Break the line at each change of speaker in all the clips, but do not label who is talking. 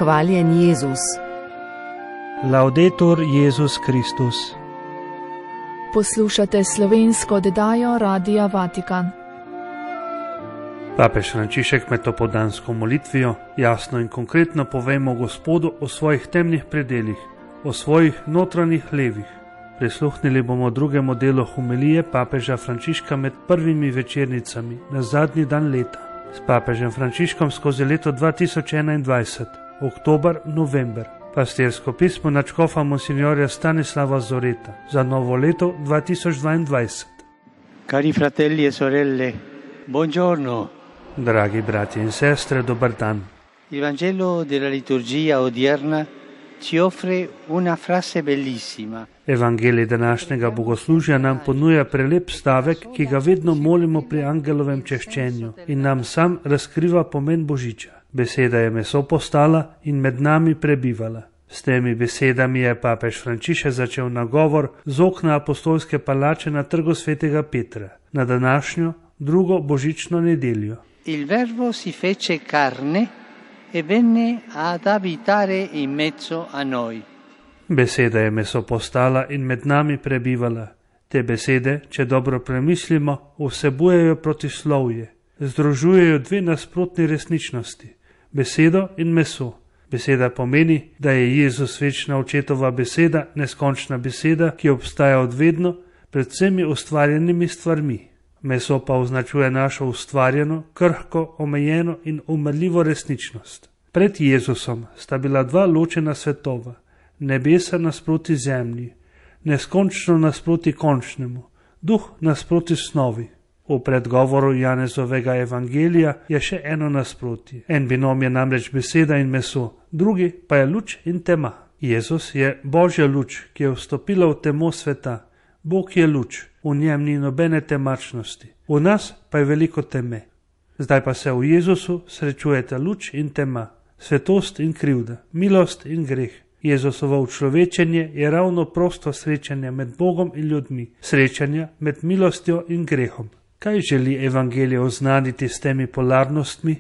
Hvaljen Jezus.
Laudetur Jezus Kristus.
Poslušate slovensko oddajo Radia Vatikan.
Papež Frančišek med popoldansko molitvijo jasno in konkretno povemo Gospodu o svojih temnih predelih, o svojih notranjih levih. Prisluhnili bomo drugemu delu homilije papeža Frančiška med prvimi večernicami na zadnji dan leta. S papežem Frančiškom skozi leto 2021, oktober-november. Pastirsko pismo nadškofa monsignorja Stanislava Zoreta za novo leto 2022.
Cari fratelli e sorelle, buongiorno.
Dragi brati in sestre, dobar dan.
Il Vangelo della liturgia odierna ci offre una frase bellissima.
Evangelij današnjega bogoslužja nam ponuja prelep stavek, ki ga vedno molimo pri angelovem češčenju in nam sam razkriva pomen Božiča. Beseda je meso postala in med nami prebivala. S temi besedami je papež Frančišek začel nagovor z okna apostolske palače na trgu svetega Petra, na današnjo drugo božično nedeljo.
Il verbo si fece carne e venne ad abitare in mezzo a noi.
Beseda je meso postala in med nami prebivala. Te besede, če dobro premislimo, vsebujejo protislovje, združujejo dve nasprotni resničnosti, besedo in meso. Beseda pomeni, da je Jezus večna očetova beseda, neskončna beseda, ki obstaja od vedno, pred vsemi ustvarjenimi stvarmi. Meso pa označuje našo ustvarjeno, krhko, omejeno in umrljivo resničnost. Pred Jezusom sta bila dva ločena svetova, nebesa nasproti zemlji, neskončno nasproti končnemu, duh nasproti snovi. V predgovoru Janezovega evangelija je še eno nasprotje. En binom je namreč beseda in meso, drugi pa je luč in tema. Jezus je Božja luč, ki je vstopila v temo sveta. Bog je luč, v njem ni nobene temačnosti, v nas pa je veliko teme. Zdaj pa se v Jezusu srečujeta luč in tema, svetost in krivda, milost in greh. Jezusovo učlovečenje je ravno prosto srečanje med Bogom in ljudmi, srečanje med milostjo in grehom. Kaj želi evangelij oznaniti s temi polarnostmi?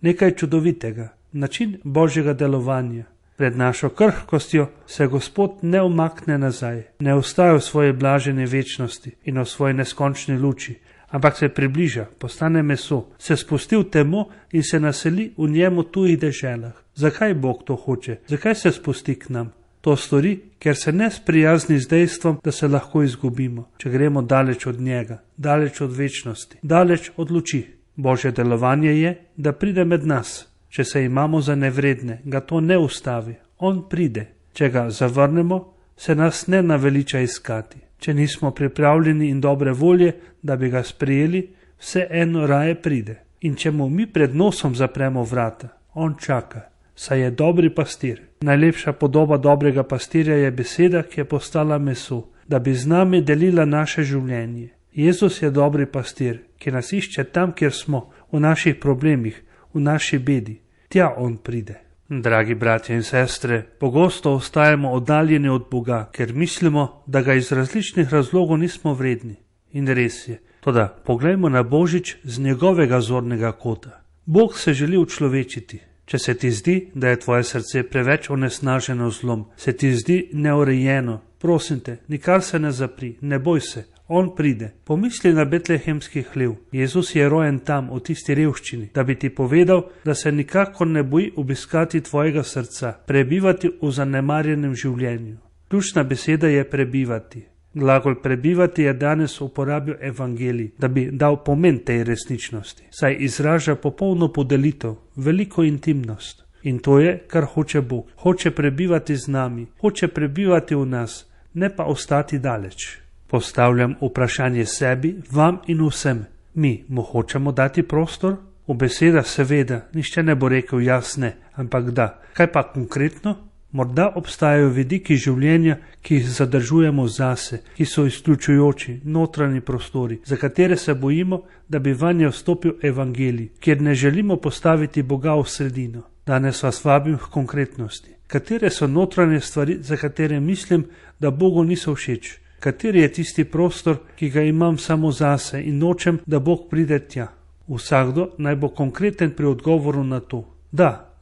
Nekaj čudovitega, način Božjega delovanja. Pred našo krhkostjo se Gospod ne umakne nazaj, ne ostaja v svoji blaženi večnosti in v svoji neskončni luči, ampak se približa, postane meso, se spusti v temo in se naseli v njemu tujih deželah. Zakaj Bog to hoče? Zakaj se spusti k nam? To stori, ker se ne sprijazni z dejstvom, da se lahko izgubimo, če gremo daleč od njega, daleč od večnosti, daleč od luči. Božje delovanje je, da pride med nas. Če se imamo za nevredne, ga to ne ustavi. On pride. Če ga zavrnemo, se nas ne naveliča iskati. Če nismo pripravljeni in dobre volje, da bi ga sprejeli, vseeno raje pride. In če mu mi pred nosom zapremo vrata, on čaka, saj je dobri pastir. Najlepša podoba dobrega pastirja je beseda, ki je postala meso, da bi z nami delila naše življenje. Jezus je dobri pastir, ki nas išče tam, kjer smo, v naših problemih, v naši bedi. Tja on pride. Dragi bratje in sestre, pogosto ostajamo oddaljeni od Boga, ker mislimo, da ga iz različnih razlogov nismo vredni. In res je. Toda poglejmo na Božič z njegovega zornega kota. Bog se želi učlovečiti. Če se ti zdi, da je tvoje srce preveč onesnaženo zlom, se ti zdi neurejeno, prosim te, nikar se ne zapri, ne boj se, on pride. Pomisli na betlehemski hlev. Jezus je rojen tam, v tisti revščini, da bi ti povedal, da se nikakor ne boji obiskati tvojega srca, prebivati v zanemarjenem življenju. Ključna beseda je prebivati. Glagol prebivati je danes uporabil evangelij, da bi dal pomen tej resničnosti, saj izraža popolno podelitev, veliko intimnost. In to je, kar hoče Bog. Hoče prebivati z nami, hoče prebivati v nas, ne pa ostati daleč. Postavljam vprašanje sebi, vam in vsem. Mi mu hočemo dati prostor? V besedah seveda, nišče ne bo rekel jasne, ampak da. Kaj pa konkretno? Morda obstajajo vidiki življenja, ki jih zadržujemo zase, ki so izključujoči, notranji prostori, za katere se bojimo, da bi vanje vstopil evangelij, kjer ne želimo postaviti Boga v sredino. Danes vas vabim k konkretnosti. Katere so notranje stvari, za katere mislim, da Bogu niso všeč? Kateri je tisti prostor, ki ga imam samo zase in nočem, da Bog pride tja? Vsakdo naj bo konkreten pri odgovoru na to. Da,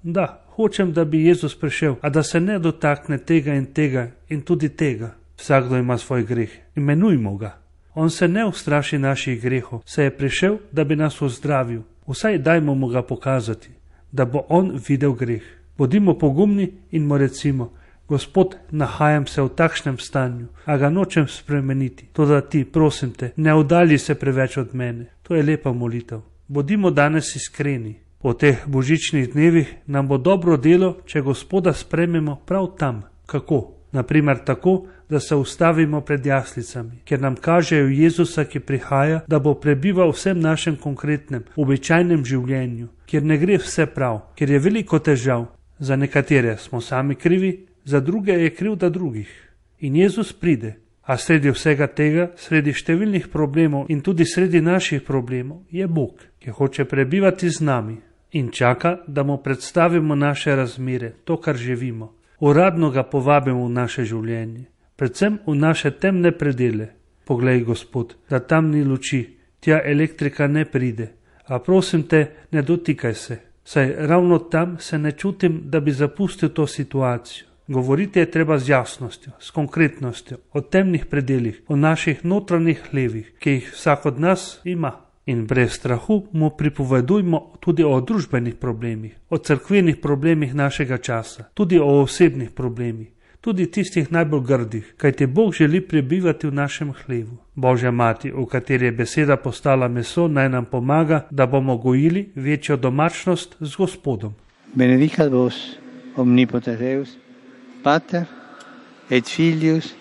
Hočem, da bi Jezus prišel, a da se ne dotakne tega in tudi tega. Vsakdo ima svoj greh, imenujmo ga. On se ne ustraši naših grehov, saj je prišel, da bi nas ozdravil. Vsaj dajmo mu ga pokazati, da bo on videl greh. Bodimo pogumni in mu recimo: Gospod, nahajam se v takšnem stanju, a ga nočem spremeniti. Toda ti, prosim te, ne oddalji se preveč od mene. To je lepa molitev. Bodimo danes iskreni. Po teh božičnih dnevih nam bo dobro delo, če Gospoda sprejmemo prav tam. Kako? Naprimer tako, da se ustavimo pred jaslicami, ker nam kažejo Jezusa, ki prihaja, da bo prebival v vsem našem konkretnem, običajnem življenju, kjer ne gre vse prav, kjer je veliko težav. Za nekatere smo sami krivi, za druge je krivda drugih. In Jezus pride, a sredi vsega tega, sredi številnih problemov in tudi sredi naših problemov, je Bog, ki hoče prebivati z nami in čaka, da mu predstavimo naše razmere, to, kar živimo. Uradno ga povabimo v naše življenje, predvsem v naše temne predele. Poglej, Gospod, da tam ni luči, tja elektrika ne pride, a prosim te, ne dotikaj se, saj ravno tam se ne čutim, da bi zapustil to situacijo. Govoriti je treba z jasnostjo, s konkretnostjo, o temnih predelih, o naših notranjih hlevih, ki jih vsak od nas ima. In brez strahu mu pripovedujmo tudi o družbenih problemih, o cerkvenih problemih našega časa, tudi o osebnih problemih, tudi tistih najbolj grdih, kajti Bog želi prebivati v našem hlevu. Božja mati, v kateri je beseda postala meso, naj nam pomaga, da bomo gojili večjo domačnost z Gospodom.
Benedicat vos omnipotens Deus, Pater et Filius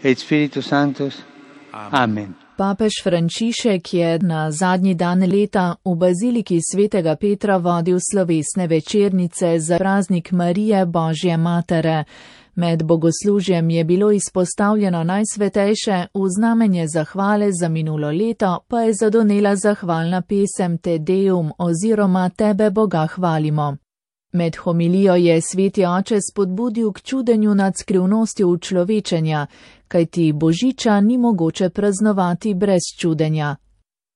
et Spiritus Sanctus. Amen.
Papež Frančišek je na zadnji dan leta v baziliki svetega Petra vodil slovesne večernice za praznik Marije Božje matere. Med bogoslužjem je bilo izpostavljeno najsvetejše, v znamenje zahvale za minulo leto pa je zadonela zahvalna pesem Te Deum oziroma Tebe Boga hvalimo. Med homilijo je sveti oče spodbudil k čudenju nad skrivnostjo učlovečenja, kajti božiča ni mogoče praznovati brez čudenja.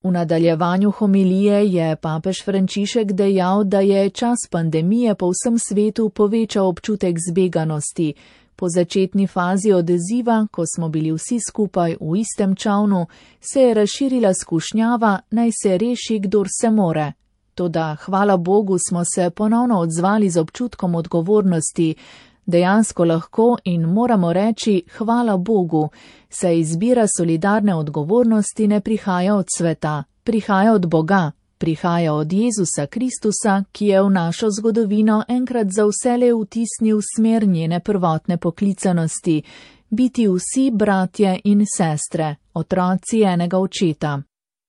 V nadaljevanju homilije je papež Frančišek dejal, da je čas pandemije po vsem svetu povečal občutek zbeganosti. Po začetni fazi odziva, ko smo bili vsi skupaj v istem čavnu, se je razširila skušnjava, naj se reši, kdor se more. Toda, hvala Bogu, smo se ponovno odzvali z občutkom odgovornosti. Dejansko lahko in moramo reči hvala Bogu, saj izbira solidarne odgovornosti ne prihaja od sveta, prihaja od Boga, prihaja od Jezusa Kristusa, ki je v našo zgodovino enkrat za vselej vtisnil smer njene prvotne poklicanosti, biti vsi bratje in sestre, otroci enega očeta.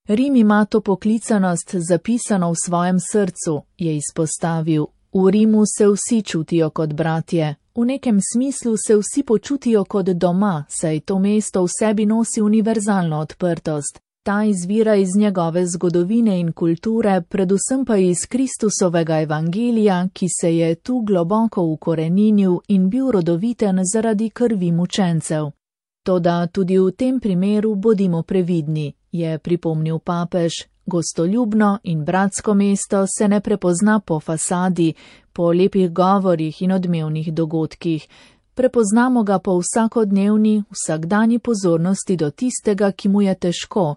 Rim ima to poklicanost zapisano v svojem srcu, je izpostavil. V Rimu se vsi čutijo kot bratje. V nekem smislu se vsi počutijo kot doma, saj to mesto v sebi nosi univerzalno odprtost. Ta izvira iz njegove zgodovine in kulture, predvsem pa iz Kristusovega evangelija, ki se je tu globoko ukoreninil in bil rodoviten zaradi krvi mučencev. Toda tudi v tem primeru bodimo previdni, je pripomnil papež. Gostoljubno in bratsko mesto se ne prepozna po fasadi, po lepih govorih in odmevnih dogodkih. Prepoznamo ga po vsakodnevni, vsakdanji pozornosti do tistega, ki mu je težko,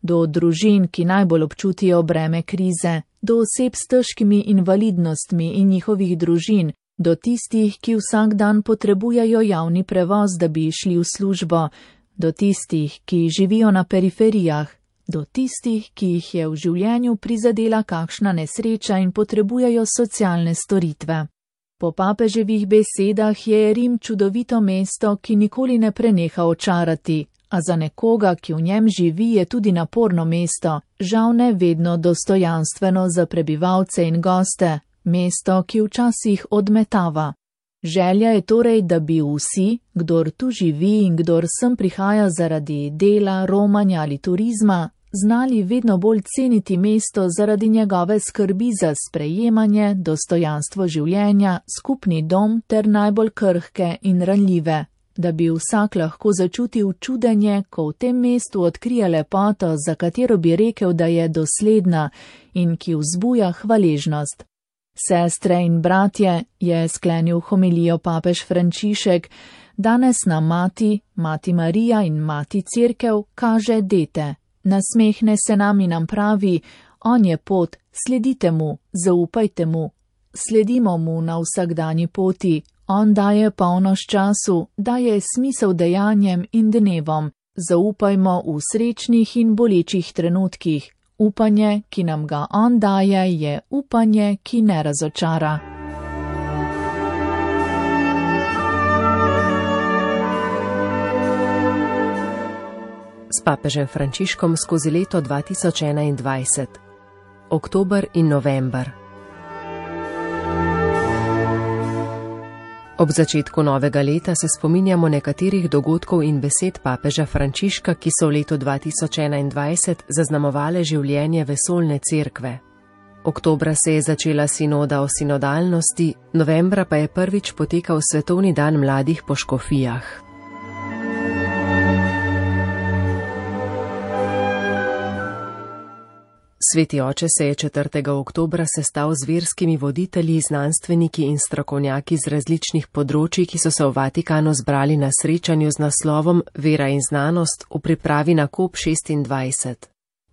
do družin, ki najbolj občutijo breme krize, do oseb s težkimi invalidnostmi in njihovih družin, do tistih, ki vsak dan potrebujejo javni prevoz, da bi šli v službo, do tistih, ki živijo na periferijah, do tistih, ki jih je v življenju prizadela kakšna nesreča in potrebujejo socialne storitve. Po papeževih besedah je Rim čudovito mesto, ki nikoli ne preneha očarati, a za nekoga, ki v njem živi, je tudi naporno mesto, žal ne vedno dostojanstveno za prebivalce in goste, mesto, ki včasih odmetava. Želja je torej, da bi vsi, kdor tu živi in kdor sem prihaja zaradi dela, romanja ali turizma, znali vedno bolj ceniti mesto zaradi njegove skrbi za sprejemanje, dostojanstvo življenja, skupni dom ter najbolj krhke in ranljive, da bi vsak lahko začutil čudenje, ko v tem mestu odkrije lepoto, za katero bi rekel, da je dosledna in ki vzbuja hvaležnost. Sestre in bratje, je sklenil homilijo papež Frančišek, danes nam mati Marija in mati Cerkev kaže dete. Nasmehne se nam in nam pravi, on je pot, sledite mu, zaupajte mu. Sledimo mu na vsakdanji poti, on daje polnoč času, daje smisel dejanjem in dnevom. Zaupajmo v srečnih in bolečih trenutkih. Upanje, ki nam ga on daje, je upanje, ki ne razočara.
S papežem Frančiškom skozi leto 2021. Oktober in november. Ob začetku novega leta se spominjamo nekaterih dogodkov in besed papeža Frančiška, ki so v letu 2021 zaznamovale življenje vesoljne cerkve. Oktobra se je začela sinoda o sinodalnosti, novembra pa je prvič potekal svetovni dan mladih po škofijah. Sveti oče se je 4. oktobra sestal z verskimi voditelji, znanstveniki in strokovnjaki z različnih področij, ki so se v Vatikanu zbrali na srečanju z naslovom Vera in znanost v pripravi na COP26.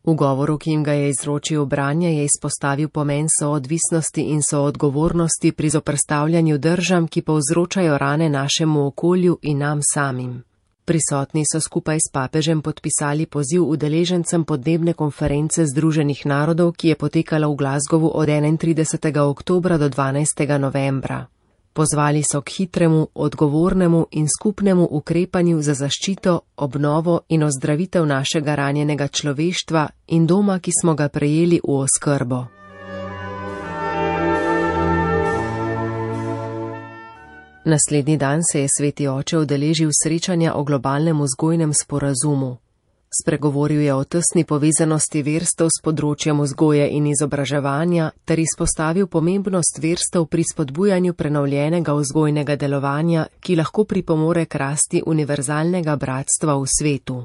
V govoru, ki jim ga je izročil branje, je izpostavil pomen soodvisnosti in soodgovornosti pri zoperstavljanju držav, ki povzročajo rane našemu okolju in nam samim. Prisotni so skupaj s papežem podpisali poziv udeležencem podnebne konference Združenih narodov, ki je potekala v Glasgowu od 31. oktobra do 12. novembra. Pozvali so k hitremu, odgovornemu in skupnemu ukrepanju za zaščito, obnovo in ozdravitev našega ranjenega človeštva in doma, ki smo ga prejeli v oskrbo. Naslednji dan se je sveti oče udeležil srečanja o globalnem vzgojnem sporazumu. Spregovoril je o tesni povezanosti verstev s področjem vzgoje in izobraževanja ter izpostavil pomembnost verstev pri spodbujanju prenovljenega vzgojnega delovanja, ki lahko pripomore k rasti univerzalnega bratstva v svetu.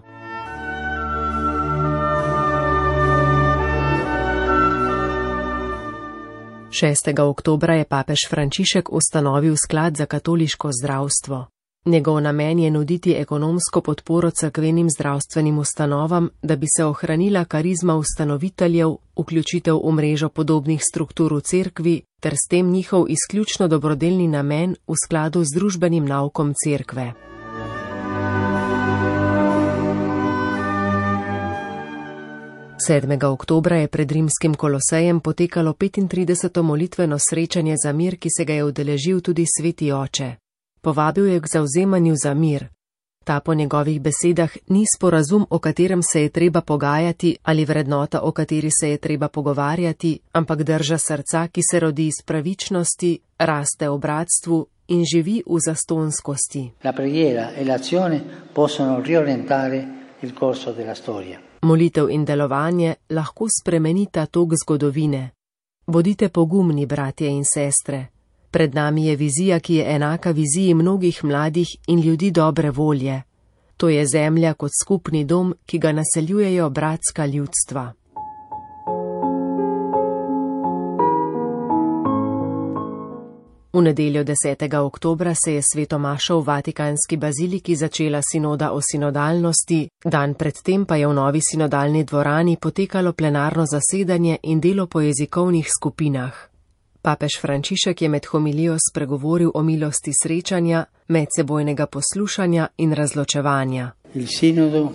Šestega oktobra je papež Frančišek ustanovil sklad za katoliško zdravstvo. Njegov namen je nuditi ekonomsko podporo cerkvenim zdravstvenim ustanovam, da bi se ohranila karizma ustanoviteljev, vključitev v mrežo podobnih struktur v cerkvi ter s tem njihov izključno dobrodelni namen v skladu z družbenim naukom cerkve. Sedmega oktobra je pred rimskim Kolosejem potekalo 35. molitveno srečanje za mir, ki se ga je udeležil tudi sveti oče. Povabil je k zavzemanju za mir. Ta po njegovih besedah ni sporazum, o katerem se je treba pogajati, ali vrednota, o kateri se je treba pogovarjati, ampak drža srca, ki se rodi iz pravičnosti, raste v bratstvu in živi v zastonskosti.
La preghiera e l'azione possono riorientare il corso della storia.
Molitev in delovanje lahko spremenita tok zgodovine. Bodite pogumni, bratje in sestre. Pred nami je vizija, ki je enaka viziji mnogih mladih in ljudi dobre volje. To je zemlja kot skupni dom, ki ga naseljujejo bratska ljudstva. V nedeljo 10. oktobra se je sveto mašo v Vatikanski baziliki začela sinoda o sinodalnosti, dan predtem pa je v novi sinodalni dvorani potekalo plenarno zasedanje in delo po jezikovnih skupinah. Papež Frančišek je med homilijo spregovoril o milosti srečanja, medsebojnega poslušanja in razločevanja.
Il sinodo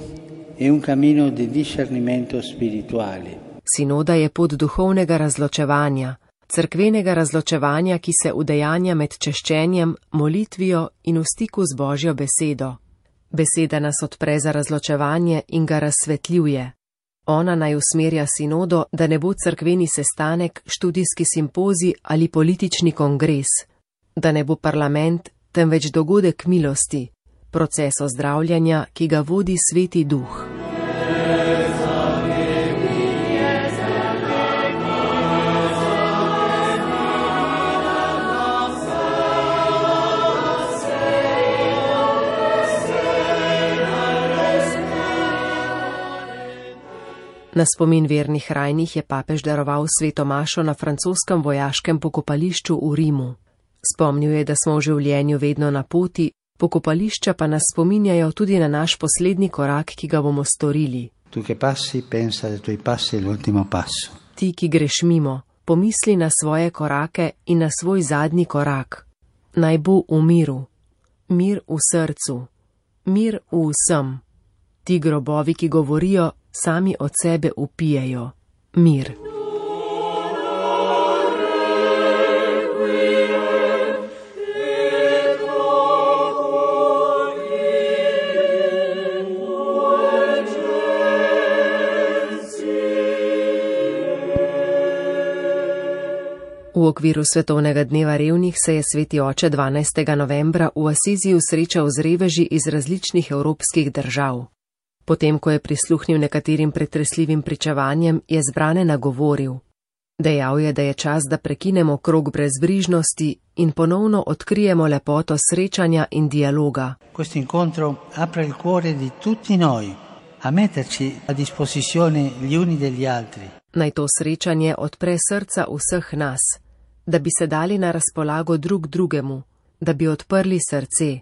è un cammino di discernimento spirituale.
Sinoda je pot duhovnega razločevanja, cerkvenega razločevanja, ki se udejanja med češčenjem, molitvijo in v stiku z Božjo besedo. Beseda nas odpre za razločevanje in ga razsvetljuje. Ona naj usmerja sinodo, da ne bo cerkveni sestanek, študijski simpozij ali politični kongres, da ne bo parlament, temveč dogodek milosti, proces ozdravljanja, ki ga vodi Sveti Duh. Na spomin vernih rajnih je papež daroval sveto mašo na francoskem vojaškem pokopališču v Rimu. Spomnil je, da smo v življenju vedno na poti, pokopališča pa nas spominjajo tudi na naš poslednji korak, ki ga bomo storili.
Tu che passi, pensa da tuoi passi è l'ultimo passo.
Ti, ki greš mimo, pomisli na svoje korake in na svoj zadnji korak. Naj bo v miru, mir v srcu, mir v vsem. Ti grobovi, ki govorijo, sami od sebe upijejo. Mir. V okviru Svetovnega dneva revnih se je sveti oče 12. novembra v Asiziju srečal z reveži iz različnih evropskih držav. Potem, ko je prisluhnil nekaterim pretresljivim pričevanjem, je zbrane nagovoril. Dejal je, da je čas, da prekinemo krog brezbrižnosti in ponovno odkrijemo lepoto srečanja in dialoga.
Questo incontro apre il cuore di tutti noi a metterci a disposizione gli uni degli altri.
Naj to srečanje odpre srca vseh nas, da bi se dali na razpolago drug drugemu, da bi odprli srce,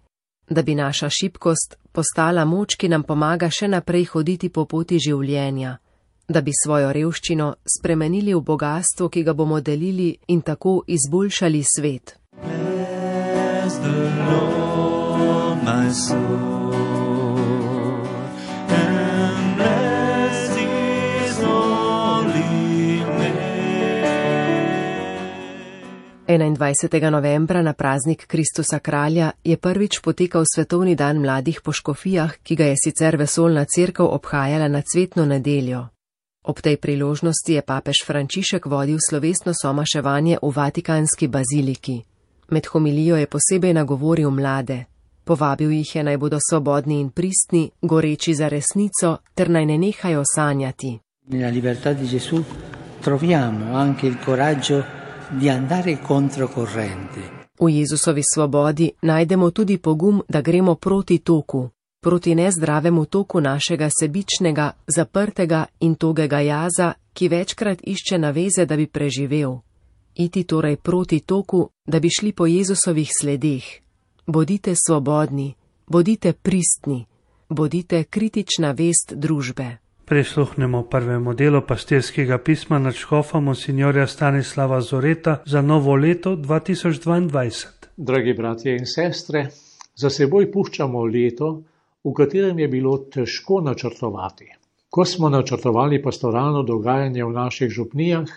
da bi naša šibkost postala moč, ki nam pomaga še naprej hoditi po poti življenja, da bi svojo revščino spremenili v bogastvo, ki ga bomo delili in tako izboljšali svet.
Bless the Lord, my soul, and bless His holy name.
21. novembra na praznik Kristusa kralja je prvič potekal svetovni dan mladih po škofijah, ki ga je sicer vesoljna cerkev obhajala na cvetno nedeljo. Ob tej priložnosti je papež Frančišek vodil slovesno somaševanje v Vatikanski baziliki. Med homilijo je posebej nagovoril mlade. Povabil jih je, naj bodo svobodni in pristni, goreči za resnico, ter naj ne nehajo sanjati.
Nella libertà di Gesù troviamo anche il coraggio di andare controcorrente.
V Jezusovi svobodi najdemo tudi pogum, da gremo proti toku, proti nezdravemu toku našega sebičnega, zaprtega in togega jaza, ki večkrat išče naveze, da bi preživel. Iti torej proti toku, da bi šli po Jezusovih sledeh. Bodite svobodni, bodite pristni, bodite kritična vest družbe.
Prisluhnemo prvemu delu pastirskega pisma nadškofa monsignorja Stanislava Zoreta za novo leto 2022.
Dragi bratje in sestre, za seboj puščamo leto, v katerem je bilo težko načrtovati. Ko smo načrtovali pastoralno dogajanje v naših župnijah,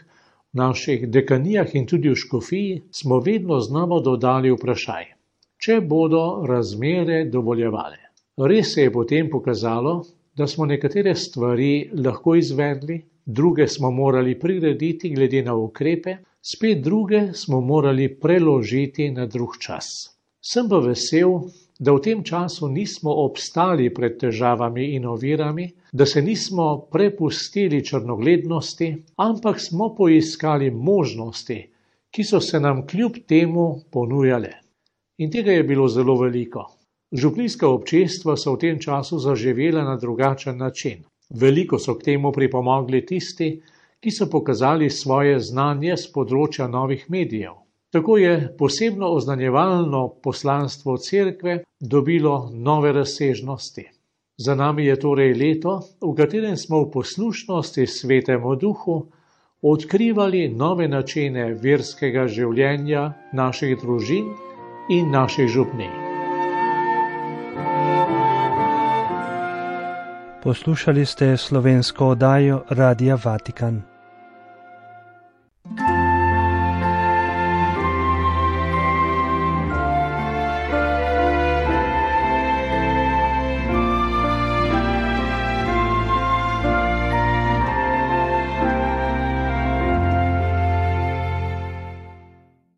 v naših dekanijah in tudi v škofiji, smo vedno znova dodali vprašaj, če bodo razmere dovoljevale. Res se je potem pokazalo, da smo nekatere stvari lahko izvedli, druge smo morali prirediti glede na ukrepe, spet druge smo morali preložiti na drug čas. Sem pa vesel, da v tem času nismo obstali pred težavami in ovirami, da se nismo prepustili črnoglednosti, ampak smo poiskali možnosti, ki so se nam kljub temu ponujale. In tega je bilo zelo veliko. Župnijska občestva so v tem času zaživela na drugačen način. Veliko so k temu pripomogli tisti, ki so pokazali svoje znanje z področja novih medijev. Tako je posebno oznanjevalno poslanstvo cerkve dobilo nove razsežnosti. Za nami je torej leto, v katerem smo v poslušnosti Svetemu Duhu odkrivali nove načine verskega življenja naših družin in naših župnij.
Poslušali ste slovensko oddajo Radia Vatikan.